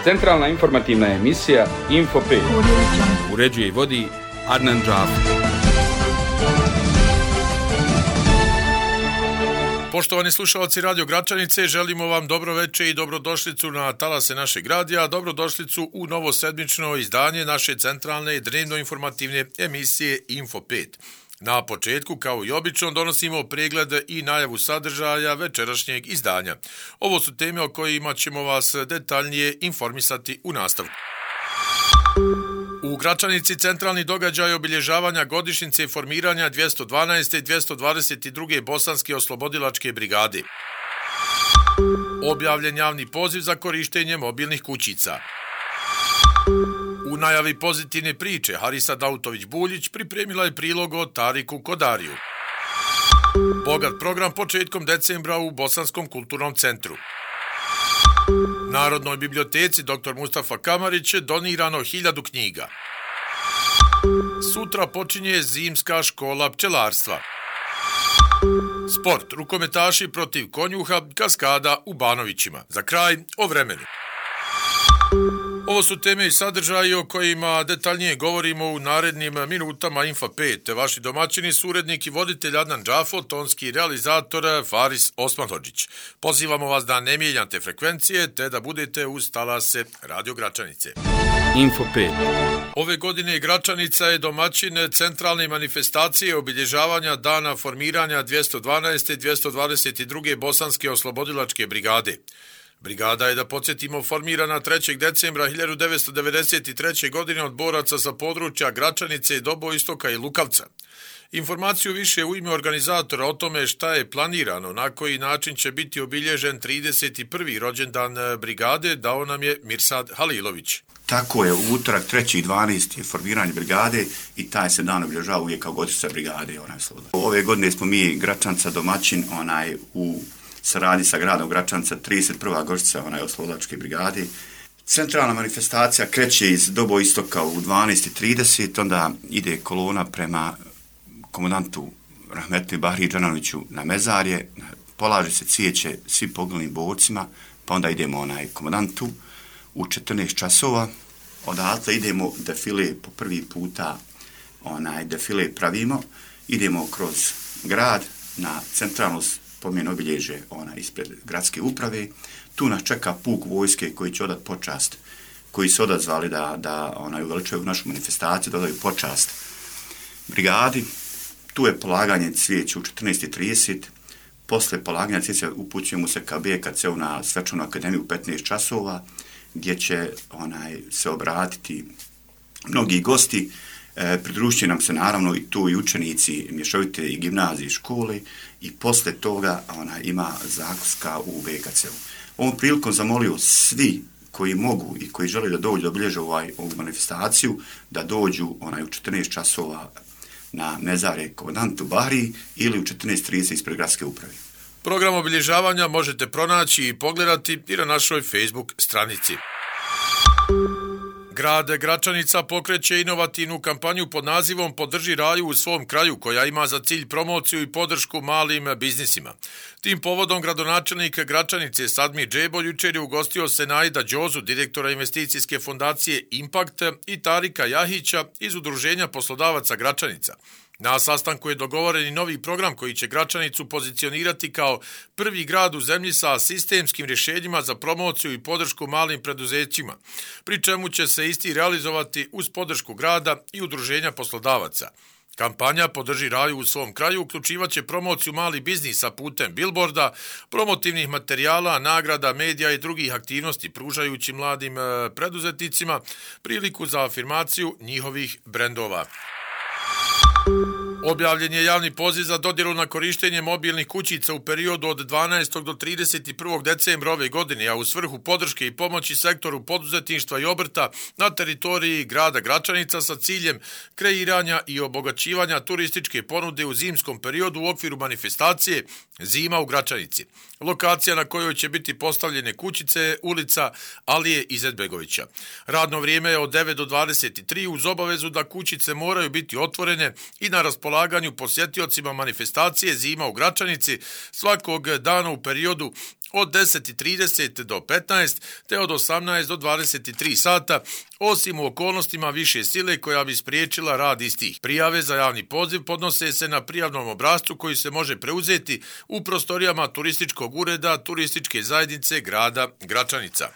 Centralna informativna emisija Info 5. Uređuje i vodi Adnan Džafer. Poštovani slušalci Radio Gračanice, želimo vam dobro večer i dobrodošlicu na talase našeg radija, dobrodošlicu u novo sedmično izdanje naše centralne dnevno-informativne emisije Info 5. Na početku, kao i obično, donosimo pregled i najavu sadržaja večerašnjeg izdanja. Ovo su teme o kojima ćemo vas detaljnije informisati u nastavku. U Gračanici centralni događaj obilježavanja godišnjice formiranja 212. i 222. Bosanske oslobodilačke brigade. Objavljen javni poziv za korištenje mobilnih kućica. U najavi pozitivne priče Harisa Dautović-Buljić pripremila je prilog o Tariku Kodariju. Bogat program početkom decembra u Bosanskom kulturnom centru. Narodnoj biblioteci dr. Mustafa Kamarić donirano 1000 knjiga. Sutra počinje zimska škola pčelarstva. Sport, rukometaši protiv konjuha, kaskada u Banovićima. Za kraj, o vremenu. Ovo su teme i sadržaji o kojima detaljnije govorimo u narednim minutama Info 5. Vaši domaćini, surednik i voditelj Adnan Džafo, tonski realizator Faris Osmanhodžić. Pozivamo vas da ne mijenjate frekvencije te da budete uz talase Radio Gračanice. Info 5. Ove godine Gračanica je domaćin centralne manifestacije obilježavanja dana formiranja 212. i 222. Bosanske oslobodilačke brigade. Brigada je, da podsjetimo, formirana 3. decembra 1993. godine od boraca sa područja Gračanice, Doboistoka i Lukavca. Informaciju više u ime organizatora o tome šta je planirano, na koji način će biti obilježen 31. rođendan brigade, dao nam je Mirsad Halilović. Tako je, u utorak 3.12. je formiranje brigade i taj se dan obilježava uvijek kao godišnjica brigade. Ove godine smo mi Gračanca domaćin u saradnji sa gradom Gračanca, 31. godišnjica oslobodilačke brigade. Centralna manifestacija kreće iz Doboistoka u 12.30, onda ide kolona prema komandantu Rahmetli Bahri Džananoviću na mezarje, polaže se cvijeće svim poginulih borcima, pa onda idemo komandantu u 14 časova. Odatle idemo defile, po prvi puta defile pravimo, idemo kroz grad na centralno spomen obilježje ispred gradske uprave. Tu nas čeka puk vojske koji će odat počast, koji su odazvali da uveličaju našu manifestaciju, da daju počast brigadi. Tu je polaganje cvijeća u 14.30. Posle polaganja cvijeća upućujemo se ka BKC-u na svečanu akademiju u 15 časova, gdje će se obratiti mnogi gosti. Pridružit će nam se naravno i tu i učenici mješovite i gimnazije i škole i posle toga ima zakuska u BKC-u. Ovom prilikom zamolio svi koji mogu i koji žele da dođu da obilježe ovu manifestaciju, da dođu u 14 časova na mezare komandantu Bahri ili u 14.30 ispred gradske uprave. Program obilježavanja možete pronaći i pogledati i na našoj Facebook stranici. Grad Gračanica pokreće inovativnu kampanju pod nazivom Podrži raju u svom kraju, koja ima za cilj promociju i podršku malim biznisima. Tim povodom gradonačelnik Gračanice Sadmir Džebo jučer je ugostio Senaida Đozu, direktora investicijske fondacije Impact, i Tarika Jahića iz Udruženja poslodavaca Gračanica. Na sastanku je dogovoren i novi program koji će Gračanicu pozicionirati kao prvi grad u zemlji sa sistemskim rješenjima za promociju i podršku malim preduzećima, pri čemu će se isti realizovati uz podršku grada i Udruženja poslodavaca. Kampanja Podrži raju u svom kraju uključivaće promociju malih biznisa putem bilborda, promotivnih materijala, nagrada, medija i drugih aktivnosti, pružajući mladim preduzetnicima priliku za afirmaciju njihovih brendova. Objavljen je javni poziv za dodjelu na korištenje mobilnih kućica u periodu od 12. do 31. decembra ove godine, a u svrhu podrške i pomoći sektoru poduzetništva i obrta na teritoriji grada Gračanica sa ciljem kreiranja i obogaćivanja turističke ponude u zimskom periodu u okviru manifestacije Zima u Gračanici. Lokacija na kojoj će biti postavljene kućice je ulica Alije Izetbegovića. Radno vrijeme je od 9 do 23 uz obavezu da kućice moraju biti otvorene i na raspolaganju posjetiocima manifestacije Zima u Gračanici svakog dana u periodu od 10:30 do 15 te od 18 do 23 sata, osim u okolnostima više sile koja bi spriječila rad istih. Prijave za javni poziv podnose se na prijavnom obrascu koji se može preuzeti u prostorijama turističkog ureda Turističke zajednice grada Gračanica.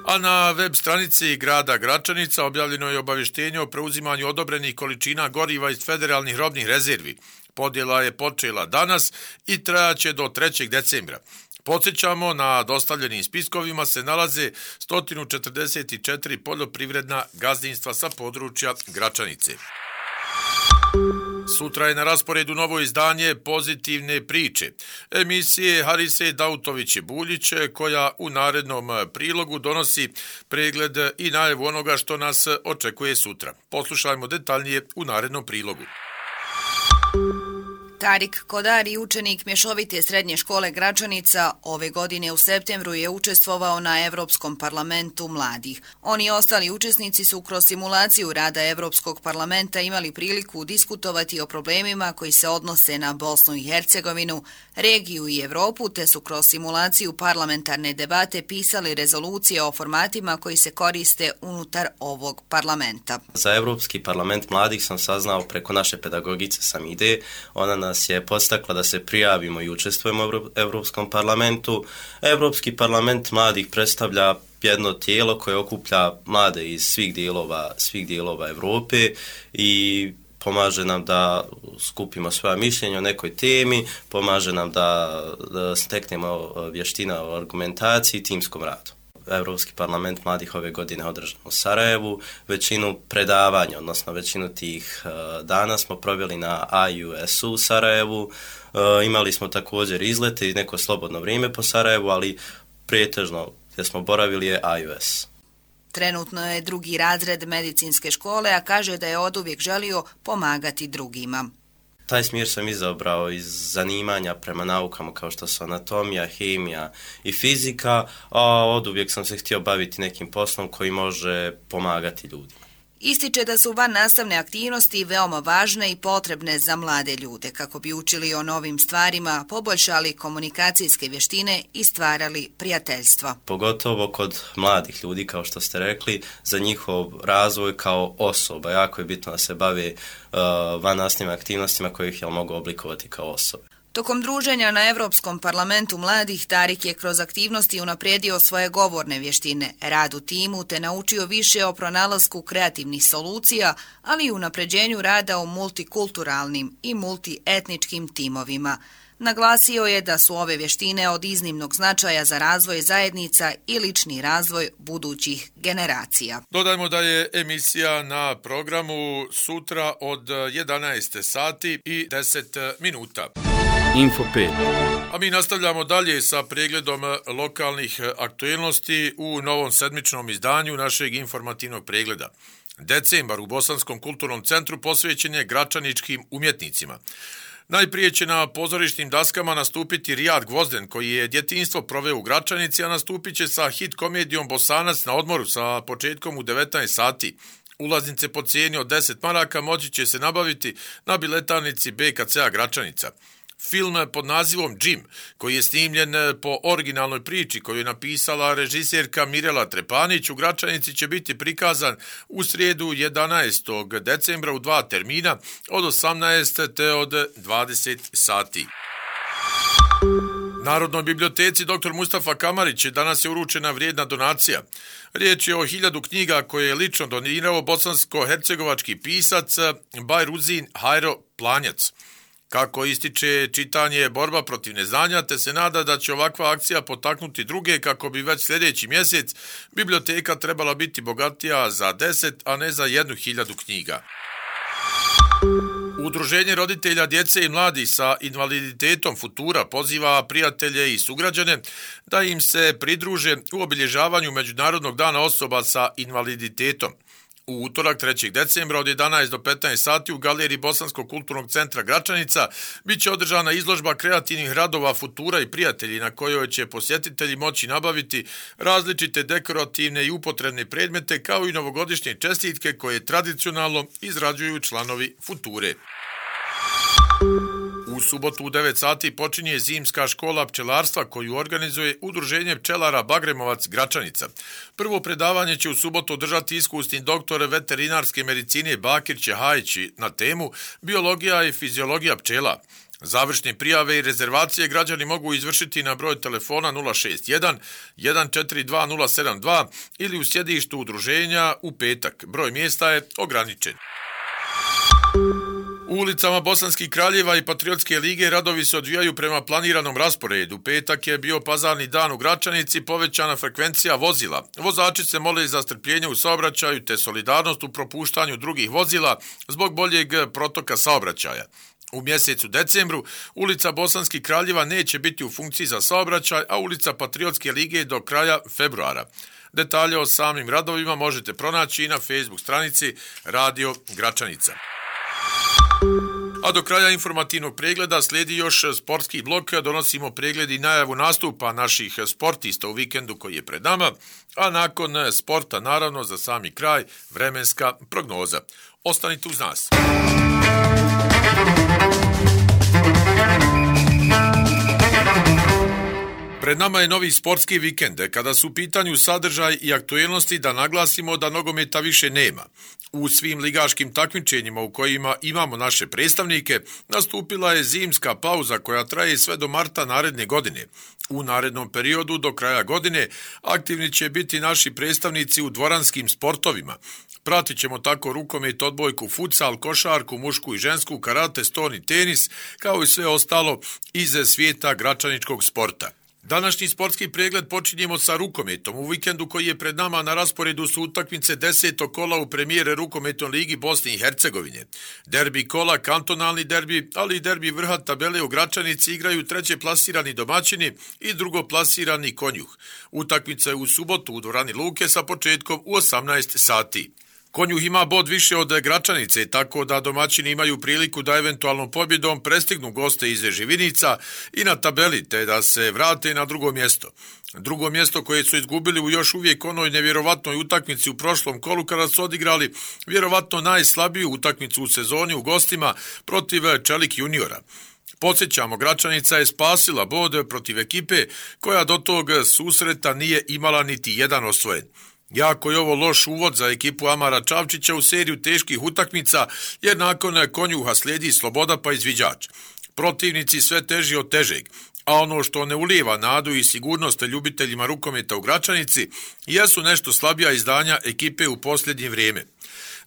A na web stranici grada Gračanica objavljeno je obavještenje o preuzimanju odobrenih količina goriva iz federalnih robnih rezervi. Podjela je počela danas i trajaće do 3. decembra. Podsjećamo, na dostavljenim spiskovima se nalaze 144 poljoprivredna gazdinstva sa područja Gračanice. Sutra je na rasporedu novo izdanje Pozitivne priče, emisije Harise Dautović-Buljić, koja u narednom prilogu donosi pregled i najavu onoga što nas očekuje sutra. Poslušajmo detaljnije u narednom prilogu. Tarik Kodari, učenik Mješovite srednje škole Gračanica, ove godine u septembru je učestvovao na Evropskom parlamentu mladih. Oni i ostali učesnici su kroz simulaciju rada Evropskog parlamenta imali priliku diskutovati o problemima koji se odnose na Bosnu i Hercegovinu, regiju i Evropu, te su kroz simulaciju parlamentarne debate pisali rezolucije o formatima koji se koriste unutar ovog parlamenta. Za Evropski parlament mladih sam saznao preko naše pedagogice Samide. Ona nas je podstakla da se prijavimo i učestvujemo u Evropskom parlamentu. Evropski parlament mladih predstavlja jedno tijelo koje okuplja mlade iz svih dijelova Evrope i pomaže nam da skupimo svoja mišljenja o nekoj temi, pomaže nam da steknemo vještina o argumentaciji i timskom radu. Evropski parlament mladih ove godine održan u Sarajevu. Većinu predavanja, odnosno većinu tih dana smo proveli na IUS-u u Sarajevu. Imali smo također izlete i neko slobodno vrijeme po Sarajevu, ali pretežno gdje smo boravili je IUS. Trenutno je 2. razred medicinske škole, a kaže da je oduvijek želio pomagati drugima. Taj smjer sam izabrao iz zanimanja prema naukama kao što su anatomija, hemija i fizika, a oduvijek sam se htio baviti nekim poslom koji može pomagati ljudima. Ističe da su van nastavne aktivnosti veoma važne i potrebne za mlade ljude kako bi učili o novim stvarima, poboljšali komunikacijske vještine i stvarali prijateljstva. Pogotovo kod mladih ljudi, kao što ste rekli, za njihov razvoj kao osoba. Jako je bitno da se bave van nastavnim aktivnostima koje ih mogu oblikovati kao osobe. Tokom druženja na Evropskom parlamentu mladih, Tarik je kroz aktivnosti unaprijedio svoje govorne vještine, rad u timu te naučio više o pronalasku kreativnih solucija, ali i unapređenju rada u multikulturalnim i multietničkim timovima. Naglasio je da su ove vještine od iznimnog značaja za razvoj zajednica i lični razvoj budućih generacija. Dodajmo da je emisija na programu sutra od 11 sati i 10 minuta. Info 5. A mi nastavljamo dalje sa pregledom lokalnih aktuelnosti u novom sedmičnom izdanju našeg informativnog pregleda. Decembar u Bosanskom kulturnom centru posvećen je gračaničkim umjetnicima. Najprije će na pozorišnim daskama nastupiti Rijad Gvozden, koji je djetinjstvo proveo u Gračanici, a nastupit će sa hit komedijom Bosanac na odmoru sa početkom u 19 sati. Ulaznice po cijeni od 10 maraka moći će se nabaviti na biletarnici BKC-a Gračanica. Film pod nazivom Jim, koji je snimljen po originalnoj priči koju je napisala režiserka Mirela Trepanić, u Gračanici će biti prikazan u srijedu 11. decembra u 2 termina od 18 te od 20 sati. Narodnoj biblioteci dr. Mustafa Kamarić danas je uručena vrijedna donacija. Riječ je o 1000 knjiga koje je lično donirao bosansko-hercegovački pisac Bajruzin Hajro Planjac. Kako ističe, čitanje je borba protiv neznanja, te se nada da će ovakva akcija potaknuti druge kako bi već sljedeći mjesec biblioteka trebala biti bogatija za 10, a ne za 1000 knjiga. Udruženje roditelja djece i mladih sa invaliditetom Futura poziva prijatelje i sugrađane da im se pridruže u obilježavanju Međunarodnog dana osoba sa invaliditetom. U utorak 3. decembra od 11 do 15 sati u galeriji Bosanskog kulturnog centra Gračanica bit će održana izložba kreativnih radova Futura i prijatelji, na kojoj će posjetitelji moći nabaviti različite dekorativne i upotrebne predmete kao i novogodišnje čestitke koje tradicionalno izrađuju članovi Future. U subotu u 9 sati počinje zimska škola pčelarstva koju organizuje Udruženje pčelara Bagremovac Gračanica. Prvo predavanje će u subotu održati iskusni doktor veterinarske medicine Bakir Čehajić na temu biologija i fiziologija pčela. Završne prijave i rezervacije građani mogu izvršiti na broj telefona 061 142 072 ili u sjedištu udruženja u petak. Broj mjesta je ograničen. U ulicama Bosanskih Kraljeva i Patriotske lige radovi se odvijaju prema planiranom rasporedu. Petak je bio pazarni dan u Gračanici, povećana frekvencija vozila. Vozači se mole za strpljenje u saobraćaju te solidarnost u propuštanju drugih vozila zbog boljeg protoka saobraćaja. U mjesecu decembru ulica Bosanskih Kraljeva neće biti u funkciji za saobraćaj, a ulica Patriotske lige do kraja februara. Detalje o samim radovima možete pronaći i na Facebook stranici Radio Gračanica. A do kraja informativnog pregleda slijedi još sportski blok. Donosimo pregled i najavu nastupa naših sportista u vikendu koji je pred nama, a nakon sporta, naravno, za sami kraj, vremenska prognoza. Ostanite uz nas. Pred nama je novi sportski vikend. Kada su u pitanju sadržaj i aktuelnosti, da naglasimo da nogometa više nema. U svim ligaškim takmičenjima u kojima imamo naše predstavnike, nastupila je zimska pauza koja traje sve do marta naredne godine. U narednom periodu do kraja godine aktivni će biti naši predstavnici u dvoranskim sportovima. Pratit ćemo tako rukomet, odbojku, futsal, košarku, mušku i žensku, karate, ston i tenis, kao i sve ostalo iz svijeta gračaničkog sporta. Današnji sportski pregled počinjemo sa rukometom. U vikendu koji je pred nama na rasporedu su utakmice 10. kola u premijere rukometnoj ligi Bosne i Hercegovine. Derbi kola, kantonalni derbi, ali i derbi vrha tabele u Gračanici igraju treće plasirani domaćini i drugo plasirani Konjuh. Utakmica je u subotu u dvorani Luke sa početkom u 18 sati. Konjuh ima bod više od Gračanice, tako da domaćini imaju priliku da eventualnom pobjedom prestignu goste iz Živinica i na tabeli, te da se vrate na drugo mjesto. Drugo mjesto koje su izgubili u još uvijek onoj nevjerovatnoj utakmici u prošlom kolu kada su odigrali vjerovatno najslabiju utakmicu u sezoni u gostima protiv Čelik juniora. Podsjećamo, Gračanica je spasila bod protiv ekipe koja do tog susreta nije imala niti jedan osvojen. Jako je ovo loš uvod za ekipu Amara Čavčića u seriju teških utakmica, jer nakon Konjuha slijedi Sloboda pa izviđač. Protivnici sve teži od težeg, a ono što ne ulijeva nadu i sigurnost ljubiteljima rukometa u Gračanici jesu nešto slabija izdanja ekipe u posljednje vrijeme.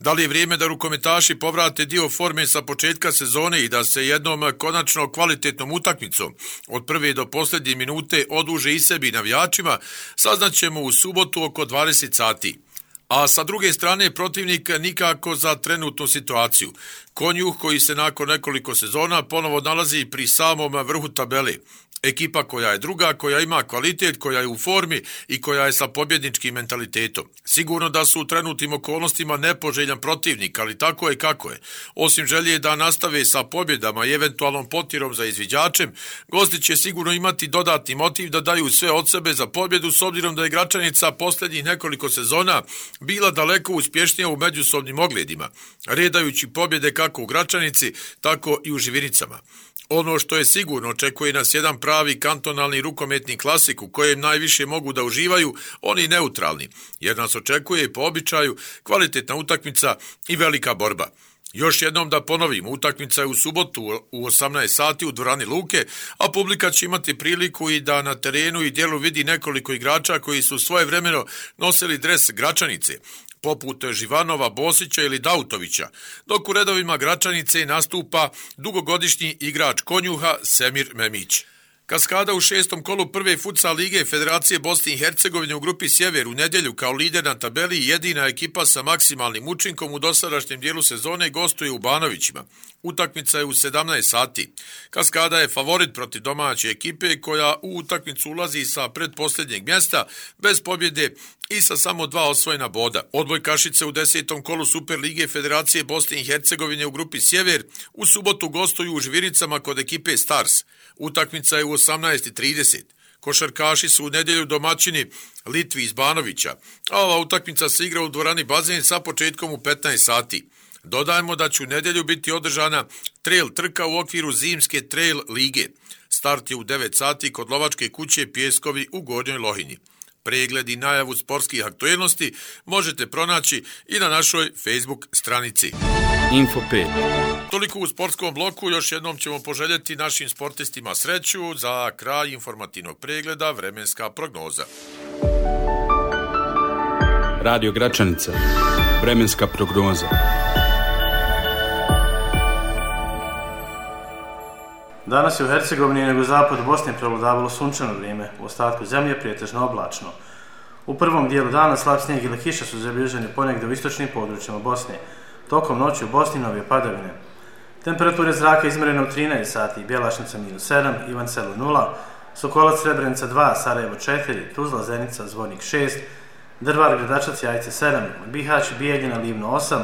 Da li je vrijeme da rukometaši povrate dio forme sa početka sezone i da se jednom konačno kvalitetnom utakmicom od prve do posljednje minute oduže i sebi navijačima, saznaćemo u subotu oko 20 sati. A sa druge strane protivnik nikako za trenutnu situaciju. Konjuh koji se nakon nekoliko sezona ponovo nalazi pri samom vrhu tabele. Ekipa koja je druga, koja ima kvalitet, koja je u formi i koja je sa pobjedničkim mentalitetom. Sigurno da su u trenutnim okolnostima nepoželjan protivnik, ali tako je kako je. Osim želje da nastave sa pobjedama i eventualnom potjerom za izviđačem, gosti će sigurno imati dodatni motiv da daju sve od sebe za pobjedu, s obzirom da je Gračanica posljednjih nekoliko sezona bila daleko uspješnija u međusobnim ogledima, redajući pobjede kako u Gračanici, tako i u Živinicama. Ono što je sigurno, očekuje nas jedan pravi kantonalni rukometni klasik u kojem najviše mogu da uživaju oni neutralni, jer nas očekuje po običaju kvalitetna utakmica i velika borba. Još jednom da ponovim, utakmica je u subotu u 18 sati u dvorani Luke, a publika će imati priliku i da na terenu i dijelu vidi nekoliko igrača koji su svojevremeno nosili dres Gračanice, poput Živanova, Bosića ili Dautovića, dok u redovima Gračanice nastupa dugogodišnji igrač Konjuha Semir Memić. Kaskada u 6. kolu prve futsal lige Federacije Bosne i Hercegovine u grupi Sjever u nedjelju kao lider na tabeli i jedina ekipa sa maksimalnim učinkom u dosadašnjem dijelu sezone gostuje u Banovićima. Utakmica je u 17 sati. Kaskada je favorit protiv domaće ekipe koja u utakmicu ulazi sa predposljednjeg mjesta bez pobjede i sa samo 2 osvojena boda. Odbojkašice u 10. kolu Super lige Federacije Bosne i Hercegovine u grupi Sjever u subotu gostuju u Živinicama kod ekipe Stars. Utakmica je u 18:30. Košarkaši su u nedjelju domaćini Litvi iz Banovića, a ova utakmica se igra u dvorani Bazen sa početkom u 15 sati. Dodajmo da će u nedjelju biti održana trail trka u okviru zimske trail lige. Start je u 9 sati kod lovačke kuće Pjeskovi u Gornjoj Lohinji. Pregled i najavu sportskih aktuelnosti možete pronaći i na našoj Facebook stranici. Info 5. Toliko u sportskom bloku, još jednom ćemo poželjeti našim sportistima sreću. Za kraj informativnog pregleda vremenska prognoza. Radio Gračanica. Vremenska prognoza. Danas je u Hercegovini i jugozapadu Bosne prevladavalo sunčano vrijeme, u ostatku zemlje prijetežno oblačno. U prvom dijelu dana slab snijeg ili kiša su zabilježeni ponegdje u istočnim područjima Bosne. Tokom noći u Bosni nove padavine. Temperature zraka izmjerene u 13 sati, Bjelašnica -7, Ivan Selo 0, Sokolac Srebrenica 2, Sarajevo 4, Tuzla Zenica Zvornik 6, Drvar Gradačac Jajce 7, Bihać Bijeljina Livno 8,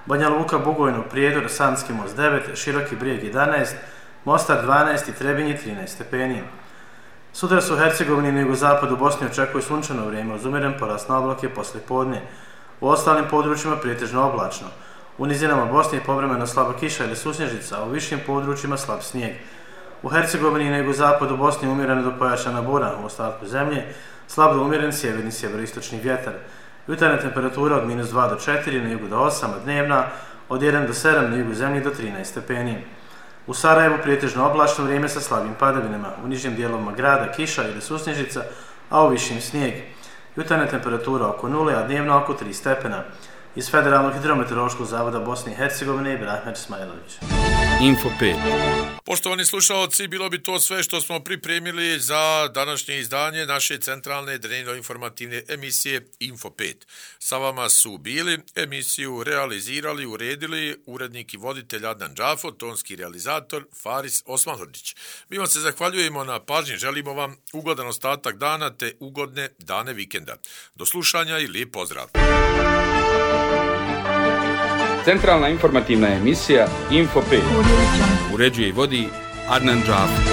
Banja Luka Bugojno Prijedor Sanski most 9, Široki Brijeg 11, Mostar 12 i Trebinje 13 stepeni. Sutra su u Hercegovini i na jugozapadu Bosne očekuje sunčano vrijeme uz umjeren porast na oblake poslije podne. U ostalim područjima prijetežno oblačno. U nizinama Bosne je povremeno slaba kiša ili susnježica, a u višim područjima slab snijeg. U Hercegovini i na jugozapadu Bosne umjerena do pojačana bura, u ostatku zemlje slab do umjeren sjeverni sjeveroistočni vjetar. Jutarnja temperatura od -2 do 4, na jugu do 8, a dnevna od 1 do 7, na jugu zemlje do 13 stepeni. U Sarajevu prijetežno oblačno vrijeme sa slabim padavinama, u nižim dijelovima grada kiša ili susnježica, a u višim snijeg. Jutarnja temperatura oko 0, a dnevna oko 3 stepena. Iz Federalnog hidrometeorološkog zavoda Bosne i Hercegovine Ibrahim Smajlović. Info 5. Poštovani slušalci, bilo bi to sve što smo pripremili za današnje izdanje naše centralne dnevno-informativne emisije Info 5. Sa vama su bili, emisiju realizirali, uredili urednik i voditelj Adnan Džafo, tonski realizator Faris Osmanhodžić. Mi vam se zahvaljujemo na pažnji, želimo vam ugodan ostatak dana te ugodne dane vikenda. Do slušanja i lijep pozdrav! Centralna informativna emisija Info 5. Uređuje i vodi Adnan Džafo.